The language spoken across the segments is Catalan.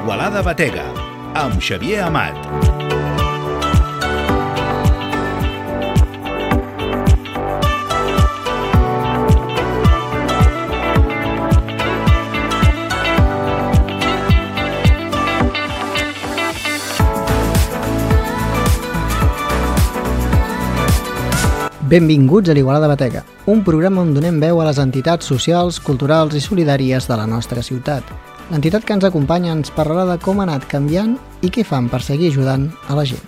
Igualada Batega, amb Xavier Amat. Benvinguts a l'Igualada Batega, un programa on donem veu a les entitats socials, culturals i solidàries de la nostra ciutat. L'entitat que ens acompanya ens parlarà de com ha anat canviant i què fan per seguir ajudant a la gent.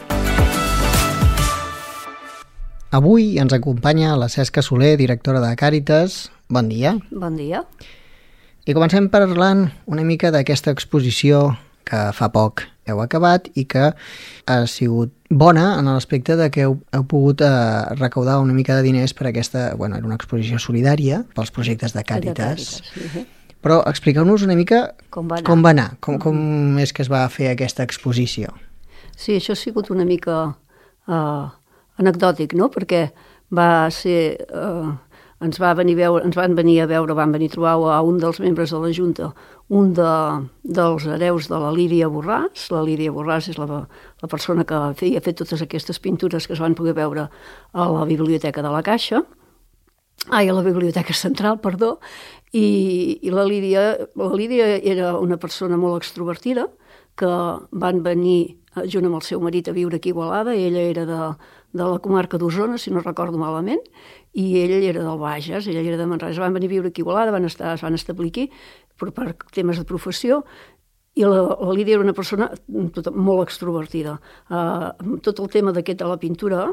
Avui ens acompanya la Cesca Soler, directora de Càritas. Bon dia. Bon dia. I comencem parlant una mica d'aquesta exposició que fa poc heu acabat i que ha sigut bona en l'aspecte de que heu pogut recaudar una mica de diners per aquesta, era una exposició solidària pels projectes de Càritas. Però expliqueu-nos una mica com va anar, com és que es va fer aquesta exposició. Sí, això ha sigut una mica anecdòtic, no? Perquè va ser... ens van venir a trobar a un dels membres de la Junta, un dels hereus de la Lídia Borràs. La Lídia Borràs és la persona que ha fet totes aquestes pintures que es van poder veure a la Biblioteca de la Caixa, a la Biblioteca Central, perdó, i la Lídia era una persona molt extrovertida, que van venir junt amb el seu marit a viure aquí a Igualada. Ella era de la comarca d'Osona, si no recordo malament, i ell era del Bages, ella era de Manresa. Van venir a viure aquí a Igualada, es van establir aquí per temes de professió, i la Lídia era una persona molt extrovertida. Tot el tema de la pintura,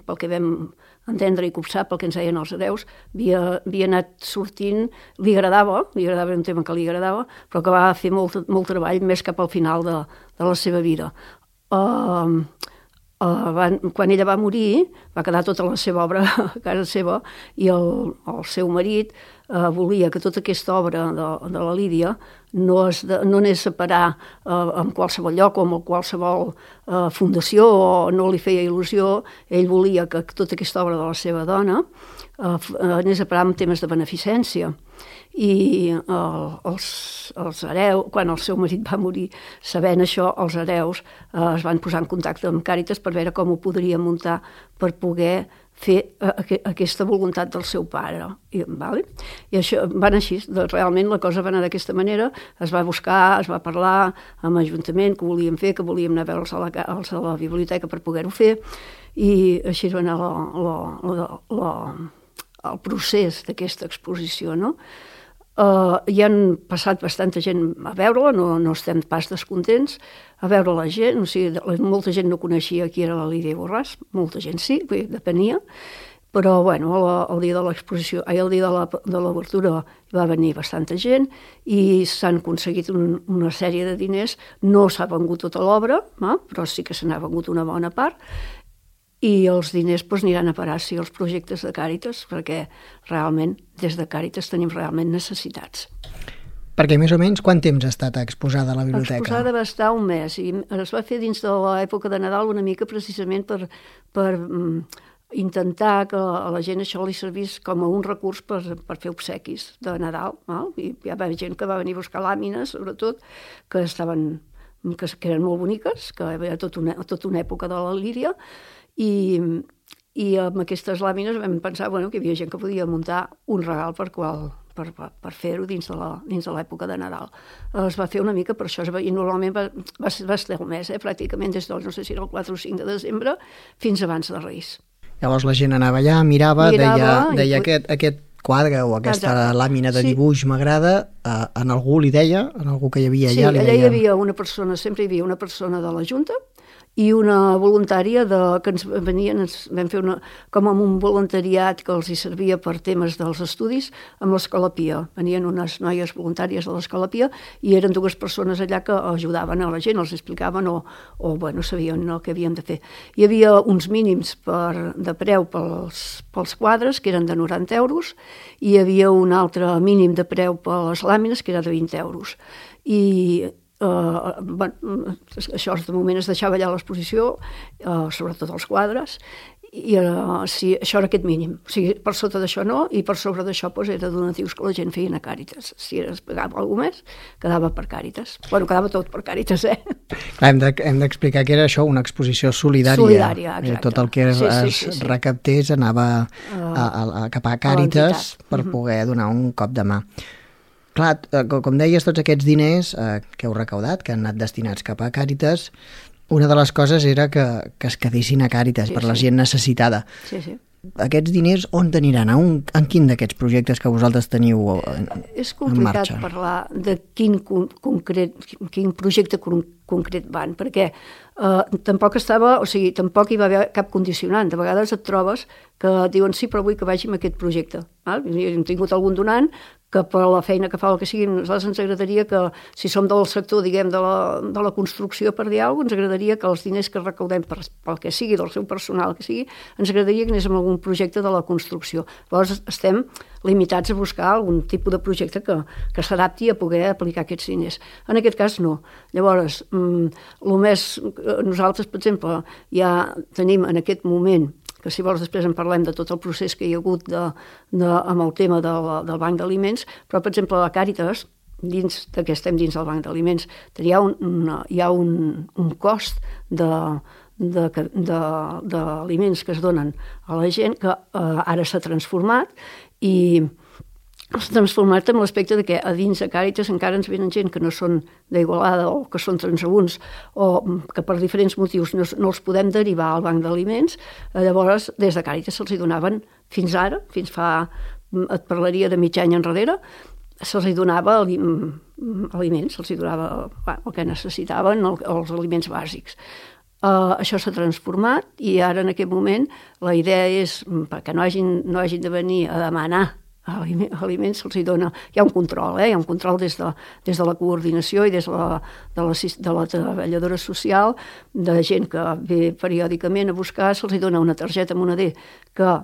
pel que vam entendre i copsar, pel que ens deien els hereus, havia anat sortint, li agradava, era un tema que li agradava, però que va fer molt treball més cap al final de la seva vida. Quan ella va morir, va quedar tota la seva obra a casa seva, i el seu marit volia que tota aquesta obra de la Lídia no anés a parar en qualsevol lloc o en qualsevol fundació, o no li feia il·lusió. Ell volia que tota aquesta obra de la seva dona anés a parar en temes de beneficència. I els hereus, quan el seu marit va morir, sabent això, els hereus es van posar en contacte amb Càritas per veure com ho podrien muntar per poder fer aquesta voluntat del seu pare. I això va anar així. Realment la cosa va anar d'aquesta manera. Es va buscar, es va parlar amb l'Ajuntament que volíem fer, que volíem anar a veure'ls a la biblioteca per poder-ho fer, i així va anar el procés d'aquesta exposició, no? Hi han passat bastanta gent a veure-la, no estem pas descontents a veure la gent, o sigui, molta gent no coneixia qui era la Lídia Borràs, molta gent sí, depenia, però el dia de l'exposició, el dia de l'obertura va venir bastanta gent i s'han aconseguit una sèrie de diners. No s'ha vengut tota l'obra, però sí que se n'ha vengut una bona part, i els diners aniran a parar als projectes de Càritas, perquè realment des de Càritas tenim realment necessitats. Perquè més o menys quant temps ha estat exposada a la biblioteca? Exposada va estar un mes, i es va fer dins de l'època de Nadal una mica precisament per intentar que a la gent això li servís com a un recurs per fer obsequis de Nadal. I hi va haver gent que va venir a buscar làmines, sobretot, que eren molt boniques, que hi havia tota una època de la Lídia, i amb aquestes làmines vam pensar que hi havia gent que podia muntar un regal per fer-ho dins de l'època de Nadal. Es va fer una mica per això, i normalment va estar un mes, pràcticament des del, no sé si era el 4 o 5 de desembre, fins abans de Reis. Llavors la gent anava allà, mirava deia aquest quadre o aquesta làmina de dibuix m'agrada, en algú li deia, en algú que hi havia allà li deia... Sí, allà hi havia una persona, sempre hi havia una persona de la Junta i una voluntària que ens venien, vam fer com un voluntariat que els hi servia per temes dels estudis amb l'Escola-Pia. Venien unes noies voluntàries de l'Escola-Pia i eren 2 persones allà que ajudaven a la gent, els explicaven o sabien el que havien de fer. Hi havia uns mínims de preu pels quadres, que eren de 90 euros, i hi havia un altre mínim de preu per les làmines, que era de 20 euros. I això de moment es deixava allà a l'exposició, sobretot els quadres, sí, això era aquest mínim. O sigui, per sota d'això no, i per sobre d'això doncs, era donatius que la gent feien a Càritas. Si es pagava alguna més, quedava per Càritas. Bueno, quedava tot per Càritas, Clar, hem d'explicar que era això, una exposició solidària. Solidària, exacte. Tot el que es recaptés anava cap a Càritas per poder donar un cop de mà. Clar, com deies, tots aquests diners que heu recaudat, que han anat destinats cap a Càritas, una de les coses era que es quedessin a Càritas per la gent necessitada. Sí, sí. Aquests diners on aniran? En quin d'aquests projectes que vosaltres teniu en marxa? És complicat parlar de quin projecte concret van, perquè tampoc hi va haver cap condicionant. De vegades et trobes que diuen sí, però vull que vagi amb aquest projecte. Hem tingut algun donant que per la feina que fa o el que sigui, nosaltres ens agradaria que, si som del sector, diguem, de la construcció, per dir alguna cosa, ens agradaria que els diners que recaudem pel que sigui, del seu personal que sigui, ens agradaria que anés amb algun projecte de la construcció. Llavors estem limitats a buscar algun tipus de projecte que s'adapti a poder aplicar aquests diners. En aquest cas no. Llavors, nosaltres, per exemple, ja tenim en aquest moment, que si vols després en parlem de tot el procés que hi ha hagut amb el tema del banc d'aliments, però per exemple a Càritas, dins que estem dins del banc d'aliments, hi ha un cost d'aliments que es donen a la gent que ara s'ha transformat i s'ha transformat en l'aspecte que a dins de Càritas encara ens venen gent que no són d'Igualada o que són transeünts o que per diferents motius no els podem derivar al banc d'aliments. Llavors, des de Càritas se'ls donaven fins ara, et parlaria de mig any enrere, se'ls donava aliments, se'ls donava el que necessitaven, els aliments bàsics. Això s'ha transformat i ara en aquest moment la idea és perquè no hagin de venir a demanar aliments, se'ls dona, hi ha un control, hi ha un control des de la coordinació i des de la treballadora social, de gent que ve periòdicament a buscar, se'ls dona una targeta moneder que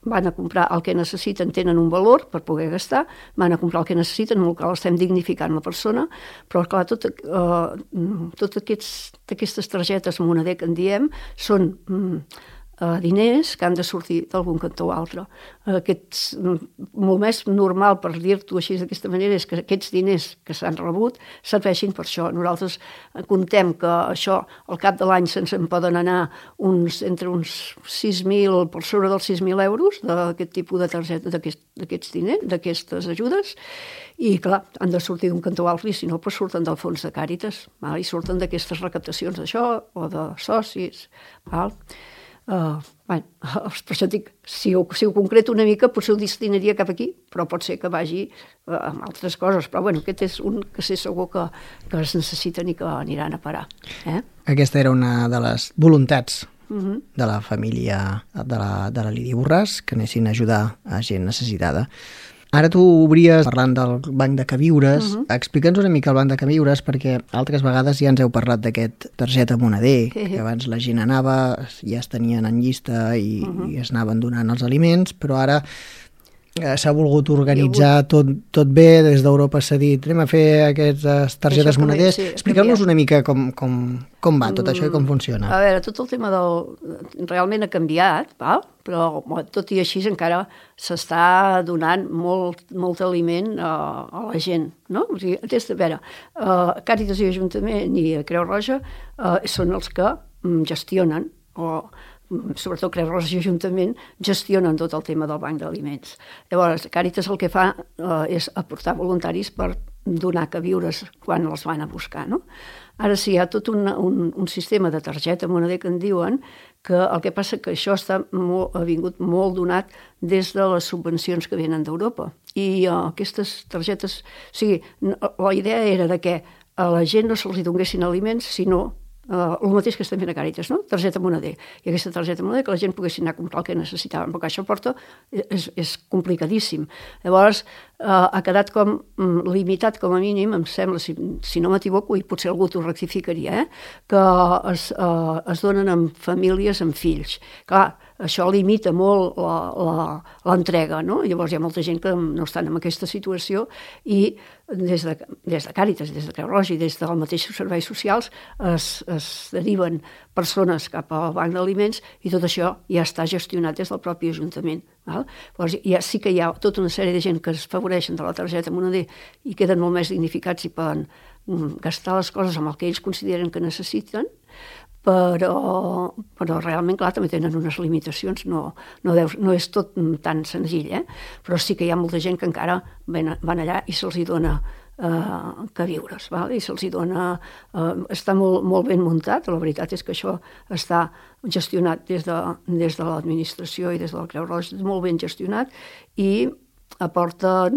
van a comprar el que necessiten, tenen un valor per poder gastar, van a comprar el que necessiten, amb el qual estem dignificant la persona, però clar, tot aquestes targetes moneder que en diem són diners que han de sortir d'algun cantó o altre. Molt més normal, per dir-t'ho així d'aquesta manera, és que aquests diners que s'han rebut serveixin per això. Nosaltres contem que això, al cap de l'any se'ns en poden anar entre uns 6.000, per sobre dels 6.000 euros d'aquest tipus de targeta, d'aquests diners, d'aquestes ajudes, i clar, han de sortir d'un cantó o altre, i si no, doncs surten del fons de Càritas, i surten d'aquestes recaptacions d'això, o de socis, per això dic, si ho concreto una mica potser ho destinaria cap aquí, però pot ser que vagi amb altres coses, però bueno, aquest és un que sé segur que es necessiten i que aniran a parar. Aquesta era una de les voluntats de la família de la Lídia Borràs, que anessin a ajudar a gent necessitada. Ara tu obries parlant del banc de queviures. Explica'ns una mica el banc de queviures, perquè altres vegades ja ens heu parlat d'aquest targeta moneder, que abans la gent anava, ja es tenien en llista i es anaven donant els aliments, però ara s'ha volgut organitzar tot bé, des d'Europa s'ha dit anem a fer aquestes targetes moneders. Expliqueu-nos una mica com va tot això i com funciona. A veure, tot el tema realment ha canviat, però tot i així encara s'està donant molt aliment a la gent, no? O sigui, a veure, Càritas i Ajuntament i Creu Roja són els que gestionen, o sobretot Creu Roja i Ajuntament gestionen tot el tema del banc d'aliments. Llavors, Càritas el que fa és aportar voluntaris per donar queviures quan els van a buscar, no? Ara sí, hi ha tot un sistema de targeta moneder que en diuen, que el que passa que això ha vingut molt donat des de les subvencions que venen d'Europa. I aquestes targetes, o sigui, la idea era de que a la gent no se'ls donguessin aliments, sinó el mateix que estem fent a Càritas, no? Targeta moneder. I aquesta targeta moneder que la gent poguessin anar a comprar el que necessitaven, perquè això és complicadíssim. Llavors, ha quedat com limitat com a mínim, em sembla, si no m'equivoco, i potser algú t'ho rectificaria, que es donen amb famílies amb fills. Clar, això limita molt l'entrega, no? Llavors hi ha molta gent que no estan en aquesta situació i des de Càritas, des de Creu Roja i des dels mateixos serveis socials es deriven persones cap al banc d'aliments i tot això ja està gestionat des del propi Ajuntament. Val? Llavors sí que hi ha tota una sèrie de gent que es favoreixen de la targeta Moneder i queden molt més dignificats i poden gastar les coses amb el que ells consideren que necessiten, però realment, clar, també tenen unes limitacions, no és tot tan senzill, però sí que hi ha molta gent que encara van allà i se'ls hi dona queviures, i se'ls hi dona... Està molt ben muntat, la veritat és que això està gestionat des de l'administració i des de la Creu Roja, molt ben gestionat, i aporta...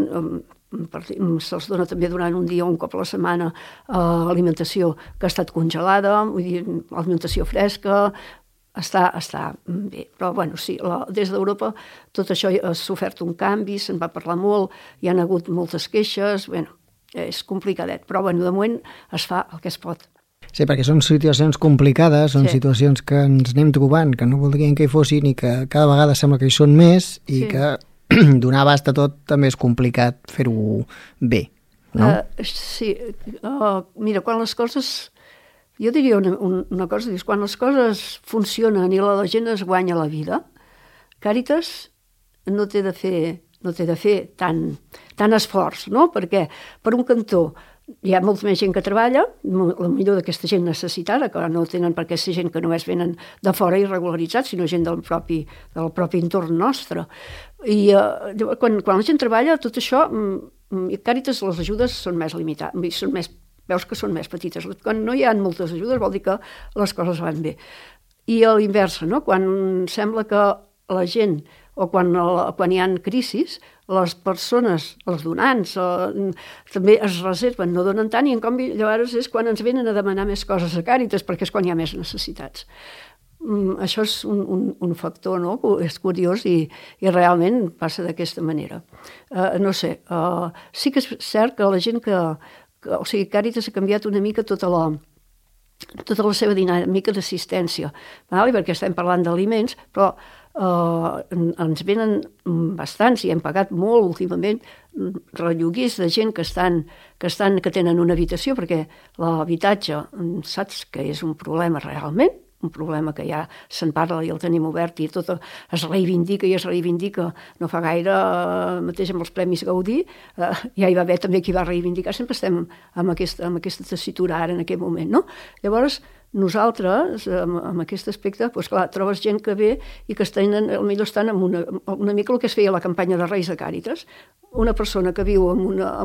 se'ls dona també durant un dia o un cop a la setmana alimentació que ha estat congelada, vull dir, alimentació fresca, està bé. Però, bueno, sí, des d'Europa tot això ha sofert un canvi, se'n va parlar molt, hi han hagut moltes queixes, bueno, és complicadet, però, bueno, de moment es fa el que es pot. Sí, perquè són situacions complicades, són situacions que ens anem trobant, que no voldrien que hi fossin i que cada vegada sembla que hi són més i que donar abast a tot també és complicat fer-ho bé, no? Sí, mira, quan les coses... Jo diria una cosa, dius, quan les coses funcionen i la gent es guanya la vida, Càritas no té de fer tant esforç, no? Perquè, per un cantó, hi ha molta més gent que treballa, la millor d'aquesta gent necessitada, que no tenen per què ser gent que només venen de fora irregularitzats, sinó gent del propi entorn nostre. I quan la gent treballa, tot això, Càritas, les ajudes són més limitades, veus que són més petites. Quan no hi ha moltes ajudes vol dir que les coses van bé. I a l'inversa, no? Quan sembla que la gent, o quan hi ha crisis, les persones, els donants, també es reserven, no donen tant, i en canvi llavors és quan ens venen a demanar més coses a Càritas, perquè és quan hi ha més necessitats. Això és un factor, no? És curiós i realment passa d'aquesta manera. No sé, sí que és cert que la gent o sigui, Càritas ha canviat una mica tota la seva dinàmica d'assistència, perquè estem parlant d'aliments, però ens venen bastants i hem pagat molt últimament relloguers de gent que tenen una habitació, perquè l'habitatge, saps que és un problema realment, un problema que ja se'n parla i el tenim obert i tot es reivindica. No fa gaire, mateix amb els Premis Gaudí, ja hi va haver també qui va reivindicar, sempre estem amb aquesta tessitura ara en aquest moment, no? Llavors, nosaltres, en aquest aspecte, doncs clar, trobes gent que ve i que potser estan en una mica el que es feia a la campanya de Reis de Càritas, una persona que viu en una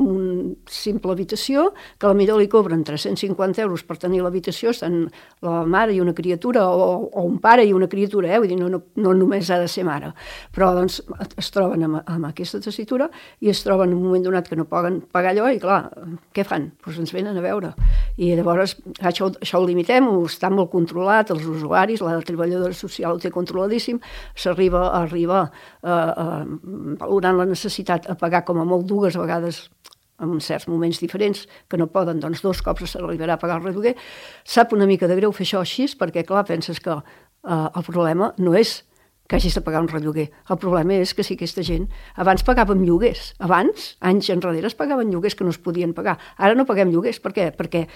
simple habitació, que potser li cobren 350 euros per tenir l'habitació, estan la mare i una criatura, o un pare i una criatura, vull dir, no només ha de ser mare, però doncs es troben amb aquesta tessitura i es troben en un moment donat que no poden pagar allò i clar, què fan? Doncs ens venen a veure. I llavors això ho limitem, està molt controlat, els usuaris, la treballadora social ho té controladíssim, s'arriba valorant la necessitat a pagar com a molt 2 vegades en certs moments diferents, que no poden, doncs 2 cops s'arribarà a pagar el relloguer. Sap una mica de greu fer això així, perquè clar, penses que el problema no és que hagis de pagar un relloguer. El problema és que si aquesta gent... Abans pagàvem lloguers. Abans, anys enrere, es pagaven lloguers que no es podien pagar. Ara no paguem lloguers. Per què? Perquè,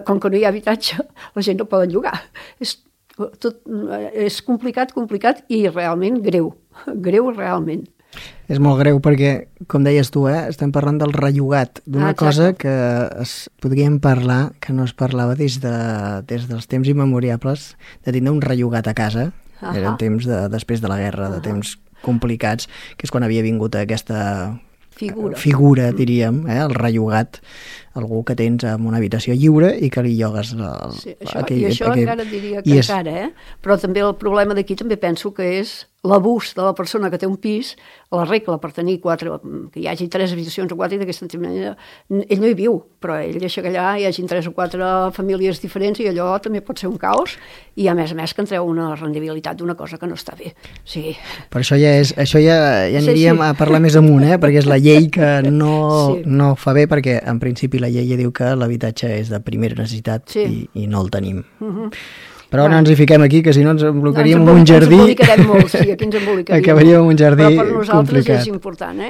com que no hi ha habitatge, la gent no poden llogar. És complicat i realment greu. Greu realment. És molt greu perquè, com deies tu, estem parlant del rellogat, d'una cosa que podríem parlar, que no es parlava des dels temps immemoriables, de tindre un rellogat a casa. Eren temps després de la guerra, de temps complicats, que és quan havia vingut aquesta figura, diríem, el rellogat, algú que tens en una habitació lliure i que li llogues això encara diria que encara, però també el problema d'aquí també penso que és l'abús de la persona que té un pis, la regla per tenir 4, que hi hagi 3 habitacions o 4, i d'aquesta manera ell no hi viu, però ell deixa que allà hi hagi 3 o 4 famílies diferents i allò també pot ser un caos, i a més que en treu una rendibilitat d'una cosa que no està bé. Sí. Per això ja aniríem a parlar més amunt, perquè és la llei que no fa bé, perquè en principi la llei ja diu que l'habitatge és de primera necessitat i no el tenim. Però no ens hi fiquem aquí, que si no ens embolicaríem en un jardí... Ens embolicarem molt, sí, aquí ens embolicaríem. Acabaríem en un jardí complicat. Però per nosaltres és important,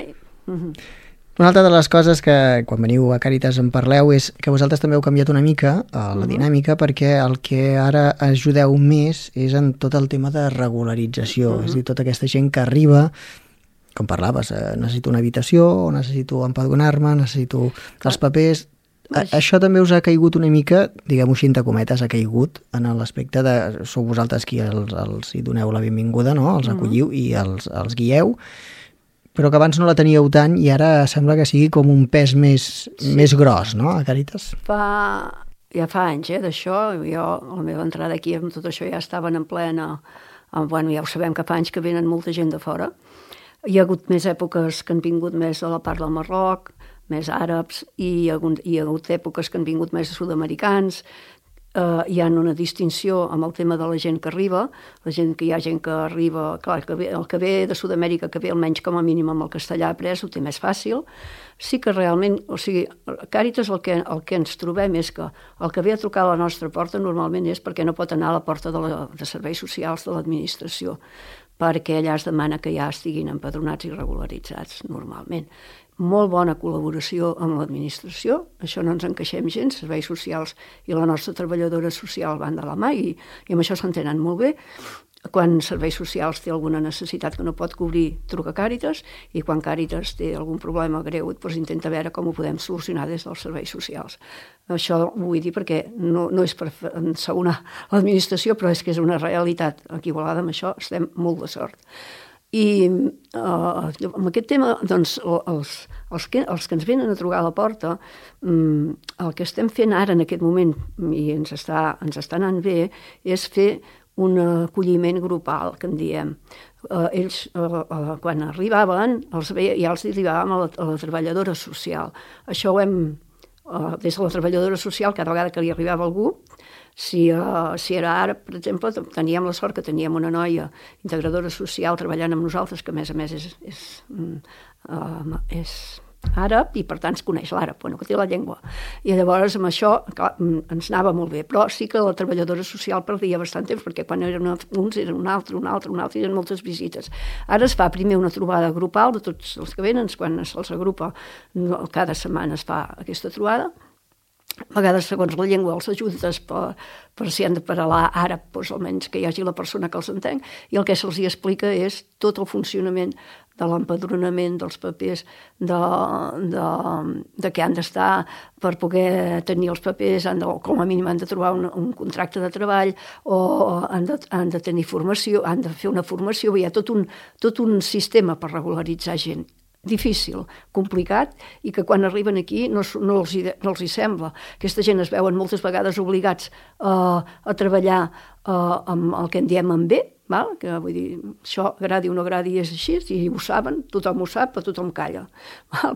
Una altra de les coses que quan veniu a Càritas en parleu és que vosaltres també heu canviat una mica la dinàmica, perquè el que ara ajudeu més és en tot el tema de regularització, és a dir, tota aquesta gent que arriba, com parlaves, necessito una habitació, o necessito empadronar-me, necessito els papers... Això també us ha caigut una mica, diguem-ho així, entre cometes, ha caigut en l'aspecte de... Sou vosaltres qui els hi doneu la benvinguda, no? Els acolliu i els guieu, però que abans no la teníeu tant i ara sembla que sigui com un pes més gros, no?, a Càritas. Ja fa anys, d'això. Jo, a la meva entrada aquí amb tot això ja estaven en plena... Bueno, ja ho sabem que fa anys que venen molta gent de fora. Hi ha hagut més èpoques que han vingut més de la part del Marroc, més àrabs, i hi ha hagut èpoques que han vingut més sud-americans. Hi ha una distinció amb el tema de la gent que arriba, hi ha gent que arriba, clar, el que ve de Sud-amèrica, que ve almenys com a mínim amb el castellà après, ho té més fàcil. Sí que realment, o sigui, a Càritas el que ens trobem és que el que ve a trucar a la nostra porta normalment és perquè no pot anar a la porta de serveis socials de l'administració, perquè allà es demana que ja estiguin empadronats i regularitzats normalment. Molt bona col·laboració amb l'administració, això no ens encaixem gens, serveis socials i la nostra treballadora social van de la mà i amb això s'entenen molt bé. Quan serveis socials té alguna necessitat que no pot cobrir, truca a Càritas, i quan Càritas té algun problema greu, doncs intenta veure com ho podem solucionar des dels serveis socials. Això ho vull dir perquè no és per ensabonar l'administració, però és que és una realitat. Aquí a Igualada amb això estem molt de sort. I amb aquest tema, doncs, els que ens venen a trucar a la porta, el que estem fent ara en aquest moment, i ens està anant bé, és fer un acolliment grupal, que en diem. Ells, quan arribaven, ja els arribàvem a la treballadora social. Això ho hem, des de la treballadora social, cada vegada que li arribava algú, si era àrab, per exemple, teníem la sort que teníem una noia integradora social treballant amb nosaltres, que a més és àrab i per tant es coneix l'àrab, que té la llengua. I llavors amb això clar, ens anava molt bé, però sí que la treballadora social perdia bastant temps, perquè quan eren uns eren un altre, i eren moltes visites. Ara es fa primer una trobada grupal de tots els que venen, quan se'ls agrupa, cada setmana es fa aquesta trobada. A vegades, segons la llengua, els ajuntes per si han de parlar àrab, doncs almenys que hi hagi la persona que els entén, i el que se'ls explica és tot el funcionament de l'empadronament, dels papers, de què han d'estar per poder tenir els papers, com a mínim han de trobar un contracte de treball, o han de tenir formació, han de fer una formació, hi ha tot un sistema per regularitzar gent. Difícil, complicat, i que quan arriben aquí no els hi sembla. Aquesta gent es veuen moltes vegades obligats a treballar amb el que en diem en B, que vull dir, això agradi o no agradi és així, i ho saben, tothom ho sap, però tothom calla.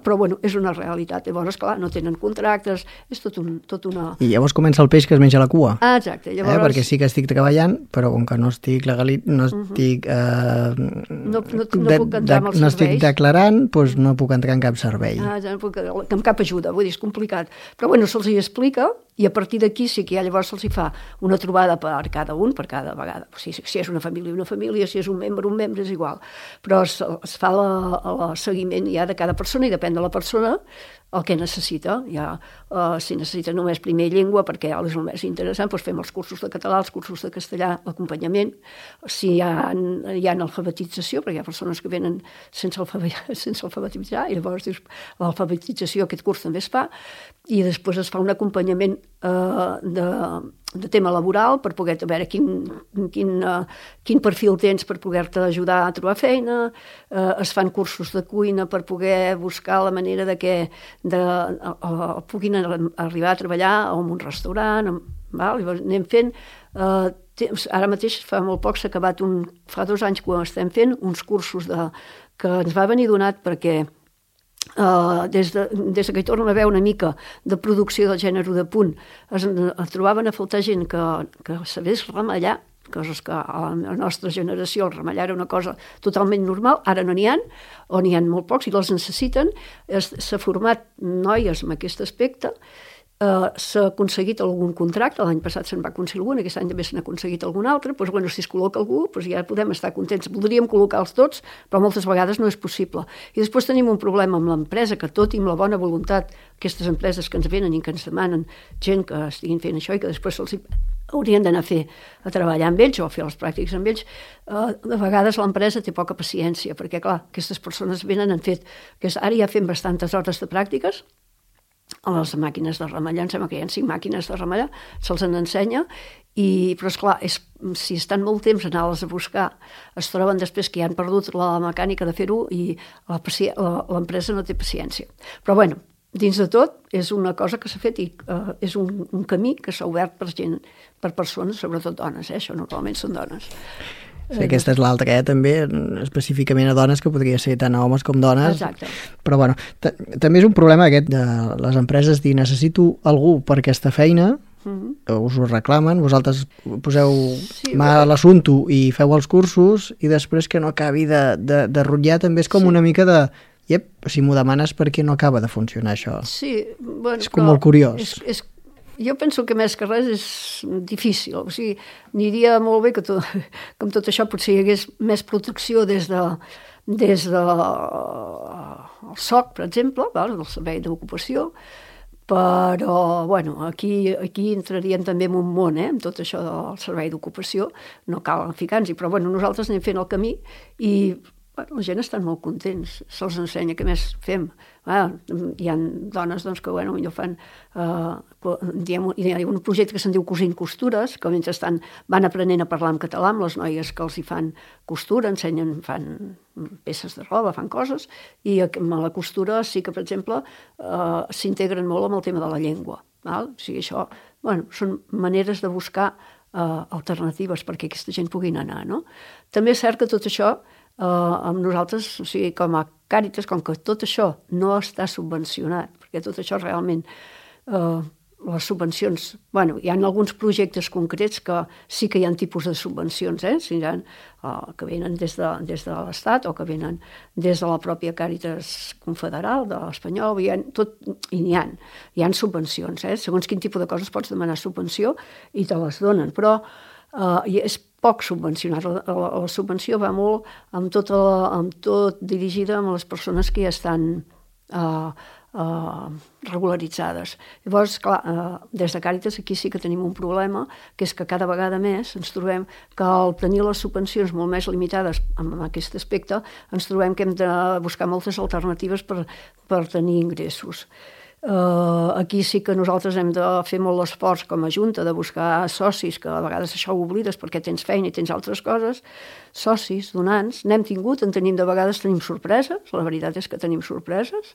Però bueno, és una realitat. Llavors, clar, no tenen contractes, és tot una... I llavors comença el peix que es menja la cua. Exacte. Llavors... Perquè sí que estic treballant, però com que no estic no estic... No puc entrar en els serveis. No estic declarant, doncs no puc entrar en cap servei. No puc, amb cap ajuda, vull dir, és complicat. Però bueno, se'ls hi explica, i a partir d'aquí sí que ja llavors se'ls hi fa una trobada per cada un, per cada vegada. Si és una família, si és un membre, és igual. Però es fa el seguiment ja de cada persona i depèn de la persona el que necessita. Si necessita només primer llengua, perquè és el més interessant, doncs fem els cursos de català, els cursos de castellà, l'acompanyament. Si hi ha alfabetització, perquè hi ha persones que venen sense alfabetitzar, i llavors dius, l'alfabetització, aquest curs també es fa, i després es fa un acompanyament de tema laboral per poder veure quin perfil tens per poder-te ajudar a trobar feina, es fan cursos de cuina per poder buscar la manera de que puguin arribar a treballar en un restaurant, anem fent... Ara mateix fa molt poc s'ha acabat, fa 2 anys que estem fent uns cursos que ens va venir donat perquè des que hi tornen a haver una mica de producció del gènere de punt es trobaven a faltar gent que sabés remallar, coses que a la nostra generació el remallar era una cosa totalment normal, ara no n'hi ha, o n'hi ha molt pocs i les necessiten. S'ha format noies en aquest aspecte s'ha aconseguit algun contracte, l'any passat se'n va aconseguir algun, aquest any també se n'ha aconseguit algun altre, doncs, bueno, si es col·loca algú, doncs ja podem estar contents. Voldríem col·locar-los tots, però moltes vegades no és possible. I després tenim un problema amb l'empresa, que tot i amb la bona voluntat, aquestes empreses que ens venen i que ens demanen gent que estiguin fent això i que després se'ls haurien d'anar a treballar amb ells o a fer les pràctiques amb ells, de vegades l'empresa té poca paciència, perquè clar, aquestes persones venen, han fet, ara ja fem bastantes hores de pràctiques, a les màquines de remellar, em sembla que hi ha 5 màquines de remellar, se'ls ensenya, però esclar, si estan molt temps a anar-les a buscar, es troben després que ja han perdut la mecànica de fer-ho i l'empresa no té paciència. Però bueno, dins de tot, és una cosa que s'ha fet i és un camí que s'ha obert per gent, per persones, sobretot dones, això normalment són dones. Sí, aquesta és l'altra, també específicament a dones, que podria ser tant a homes com dones. Exacte. Però bueno, també és un problema aquest de les empreses dir necessito algú per aquesta feina, us ho reclamen, vosaltres poseu mà a l'assumpte i feu els cursos i després que no acabi de rotllar, també és com una mica de si m'ho demanes perquè no acaba de funcionar això. Sí, bueno, és com molt curiós. Jo penso que més que res és difícil, o sigui, aniria molt bé que amb tot això potser hi hagués més protecció des del SOC, per exemple, del Servei d'Ocupació, però bueno, aquí entraríem també en un món, amb tot això del Servei d'Ocupació, no cal ficar-nos-hi, però bueno, nosaltres anem fent el camí i la gent està molt contents, se'ls ensenya què més fem. Hi ha dones que millor fan hi ha un projecte que se'n diu Cosint Costures, que mentrestant van aprenent a parlar en català amb les noies que els hi fan costura, ensenyen, fan peces de roba, fan coses, i amb la costura sí que, per exemple, s'integren molt amb el tema de la llengua. O sigui, això són maneres de buscar alternatives perquè aquesta gent puguin anar, no? També és cert que tot això amb nosaltres, o sigui, com a Càritas, com que tot això no està subvencionat, perquè tot això realment, les subvencions, hi ha alguns projectes concrets que sí que hi ha tipus de subvencions, que venen des de l'Estat o que venen des de la pròpia Càritas Confederal, de l'Espanyol, hi ha subvencions, segons quin tipus de coses pots demanar subvenció i te les donen, però és poc subvencionat. La subvenció va molt amb tot dirigida a les persones que ja estan regularitzades. Llavors, clar, des de Càritas aquí sí que tenim un problema, que és que cada vegada més ens trobem que al tenir les subvencions molt més limitades en aquest aspecte, ens trobem que hem de buscar moltes alternatives per tenir ingressos. Aquí sí que nosaltres hem de fer molt l'esforç com a Junta de buscar socis, que a vegades això ho oblides perquè tens feina i tens altres coses, socis, donants, n'hem tingut, de vegades tenim sorpreses, la veritat és que tenim sorpreses,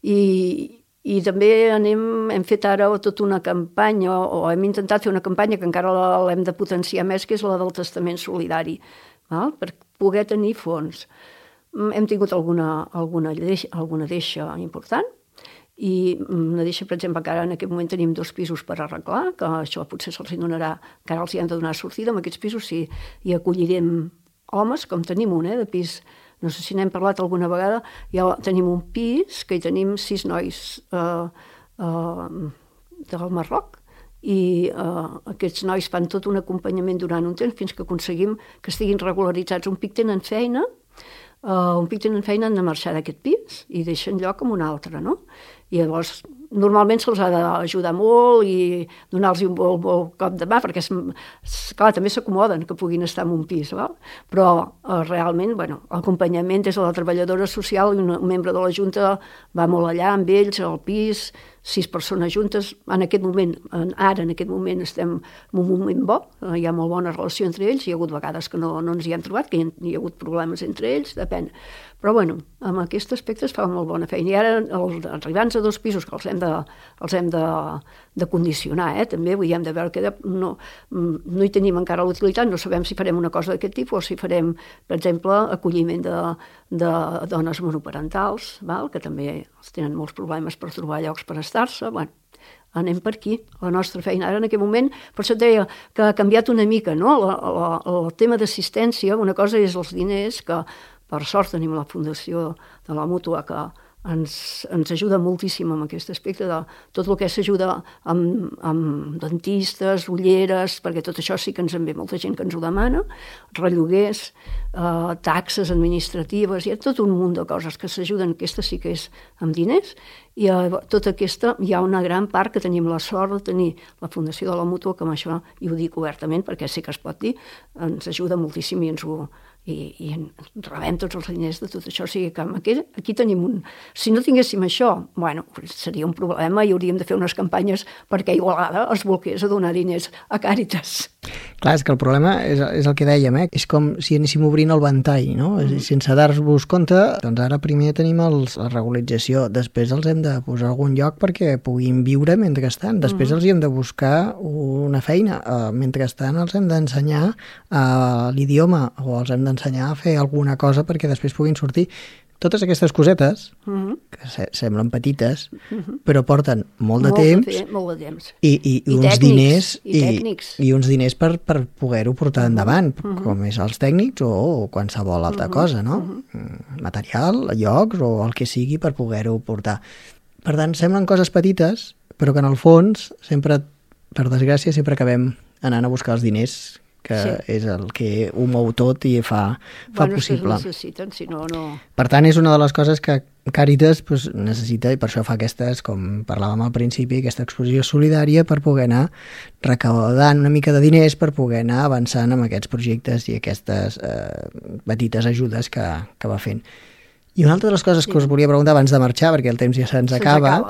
i també hem fet ara tota una campanya, o hem intentat fer una campanya que encara l'hem de potenciar més, que és la del testament solidari, per poder tenir fons. Hem tingut alguna deixa important, i una deixa, per exemple, que ara en aquest moment tenim 2 pisos per arreglar, que això potser se'ls donarà, encara els hi han de donar sortida. En aquests pisos sí, hi acollirem homes, com tenim un, de pis, no sé si n'hem parlat alguna vegada, ja tenim un pis que hi tenim 6 nois del Marroc, i aquests nois fan tot un acompanyament durant un temps fins que aconseguim que estiguin regularitzats. Un pic tenen feina, han de marxar d'aquest pis i deixen lloc amb un altre, no? I llavors normalment se'ls ha d'ajudar molt i donar-los un bon cop de mà, perquè clar, també s'acomoden que puguin estar en un pis, però realment l'acompanyament des de la treballadora social i un membre de la Junta va molt allà amb ells, al pis, 6 persones juntes. En aquest moment estem en un moment bo, hi ha molt bona relació entre ells, hi ha hagut vegades que no ens hi han trobat, que hi ha hagut problemes entre ells, depèn. Però amb aquest aspecte es fa molt bona feina. I ara els arribants a 2 pisos que els hem de condicionar, també, vull dir, hem de veure que no hi tenim encara l'utilitat, no sabem si farem una cosa d'aquest tipus o si farem, per exemple, acolliment de dones monoparentals, que també tenen molts problemes per trobar llocs per estar-se. Anem per aquí. La nostra feina ara en aquest moment, per això et deia que ha canviat una mica, no? El tema d'assistència, una cosa és els diners, que per sort tenim la fundació de la Mútua que ens ajuda moltíssim en aquest aspecte de tot el que s'ajuda amb dentistes, ulleres, perquè tot això sí que ens en ve molta gent que ens ho demana, relloguers, taxes administratives, hi ha tot un munt de coses que s'ajuden, aquesta sí que és amb diners, i tota aquesta hi ha una gran part que tenim la sort de tenir la Fundació de la Mútua, que amb això, i ho dic obertament perquè sé que es pot dir, ens ajuda moltíssim i rebem tots els diners de tot això. O sigui que aquí tenim si no tinguéssim això, bueno, seria un problema i hauríem de fer unes campanyes perquè Igualada es volqués a donar diners a Càritas. Clar, és que el problema és el que dèiem, és com si anéssim obrint el ventall, no? Sense dar-vos compte, doncs ara primer tenim la regularització, després els hem de posar a algun lloc perquè puguin viure mentrestant, després els hi hem de buscar una feina, mentrestant els hem d'ensenyar l'idioma o els hem d'ensenyar a fer alguna cosa perquè després puguin sortir. Totes aquestes cosetes, que semblen petites, però porten molt de temps i uns diners i uns diners per poder-ho portar endavant, com és els tècnics o qualsevol altra cosa, no? Material, llocs o el que sigui per poder-ho portar. Per tant, semblen coses petites, però que en el fons, sempre, per desgràcia, sempre acabem anant a buscar els diners, que és el que ho mou tot i fa possible. Necessiten, si no... Per tant, és una de les coses que Càritas necessita, i per això fa aquestes, com parlàvem al principi, aquesta exposició solidària per poder anar recaudant una mica de diners, per poder anar avançant amb aquests projectes i aquestes petites ajudes que va fent. I una altra de les coses que us volia preguntar abans de marxar, perquè el temps ja se'ns acaba,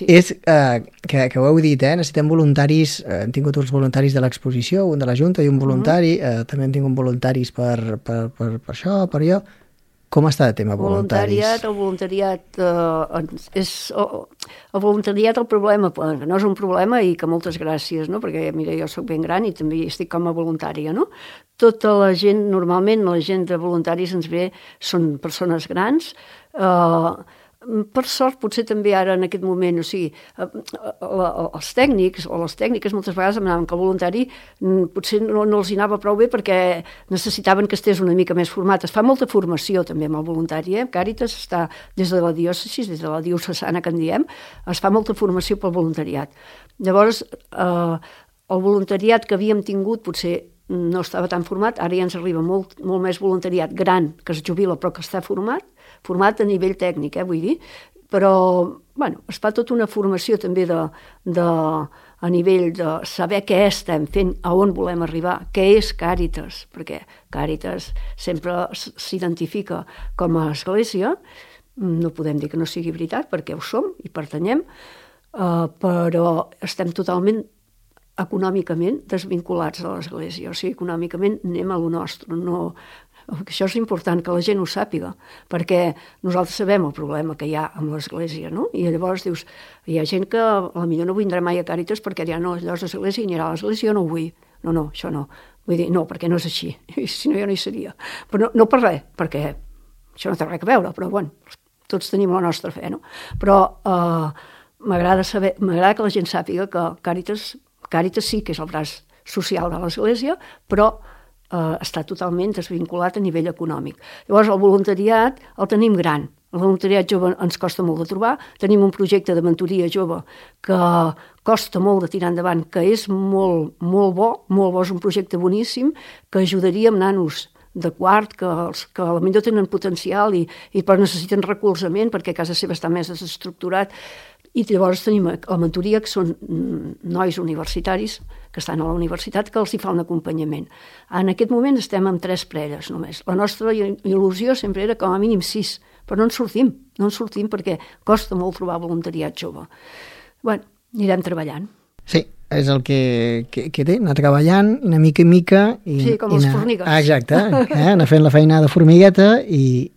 és que ho heu dit, necessitem voluntaris, hem tingut uns voluntaris de l'exposició, un de la Junta i un voluntari, també hem tingut voluntaris per això, per allò. Com està el tema voluntaris? El voluntariat, el problema, que no és un problema i que moltes gràcies, no? Perquè mira, jo soc ben gran i també estic com a voluntària, no? Tota la gent, normalment la gent de voluntaris ens ve, són persones grans, per sort potser també ara en aquest moment, o sigui, els tècnics o les tècniques moltes vegades em anaven que el voluntari potser no els hi anava prou bé perquè necessitaven que estés una mica més format. Es fa molta formació també amb el voluntari, Càritas està des de la diòcesi, des de la diocesana que en diem, es fa molta formació pel voluntariat. Llavors, el voluntariat que havíem tingut potser no estava tan format, ara ja ens arriba molt més voluntariat gran que es jubila però que està format a nivell tècnic, vull dir, però bueno, es fa tota una formació també a nivell de saber què estem fent, a on volem arribar, què és Càritas, perquè Càritas sempre s'identifica com a església, no podem dir que no sigui veritat perquè ho som i pertanyem, però estem totalment econòmicament desvinculats de l'Església, o sigui, econòmicament anem a lo nostre, no... Això és important que la gent ho sàpiga, perquè nosaltres sabem el problema que hi ha amb l'Església, no? I llavors dius, hi ha gent que potser no vindrà mai a Càritas perquè dirà, no, allò és l'Església i anirà a l'Església, jo no ho vull. No, això no. Vull dir, no, perquè no és així, si no jo no hi seria. Però no per res, perquè això no té res a veure, però bueno, tots tenim la nostra fe, no? Però m'agrada que la gent sàpiga que Càritas sí que és el braç social de l'Església, però està totalment desvinculat a nivell econòmic. Llavors, el voluntariat el tenim gran. El voluntariat jove ens costa molt de trobar. Tenim un projecte de mentoria jove que costa molt de tirar endavant, que és molt bo, és un projecte boníssim, que ajudaria amb nanos de quart, que potser tenen potencial i però necessiten recolzament perquè a casa seva està més desestructurat. I llavors tenim la mentoria, que són nois universitaris que estan a la universitat, que els hi fa un acompanyament. En aquest moment estem amb 3 preres només. La nostra il·lusió sempre era com a mínim 6, però no en sortim perquè costa molt trobar voluntariat jove. Bueno, anirem treballant. Sí, és el que té, anar treballant una mica en mica. Sí, com les formigues. Exacte, anar fent la feina de formigueta i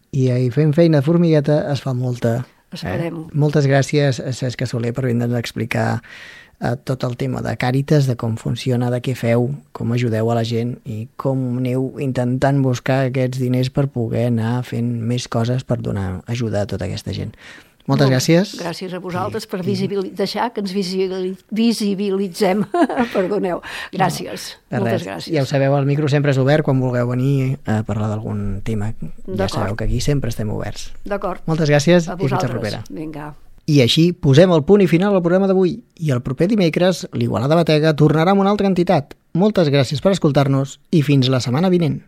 fent feina de formigueta es fa molta. Esperem-ho. Moltes gràcies, Cesc Soler, per vindre'ns a explicar tot el tema de Càritas, de com funciona, de què feu, com ajudeu a la gent i com aneu intentant buscar aquests diners per poder anar fent més coses per donar ajuda a tota aquesta gent. Moltes gràcies. Gràcies a vosaltres per deixar que ens visibilitzem. Perdoneu. Gràcies. Moltes gràcies. Ja ho sabeu, el micro sempre és obert quan vulgueu venir a parlar d'algun tema. Ja sabeu que aquí sempre estem oberts. D'acord. Moltes gràcies i fins la propera. Vinga. I així posem el punt i final al programa d'avui. I el proper dimecres, l'Igualada Batega tornarà amb una altra entitat. Moltes gràcies per escoltar-nos i fins la setmana vinent.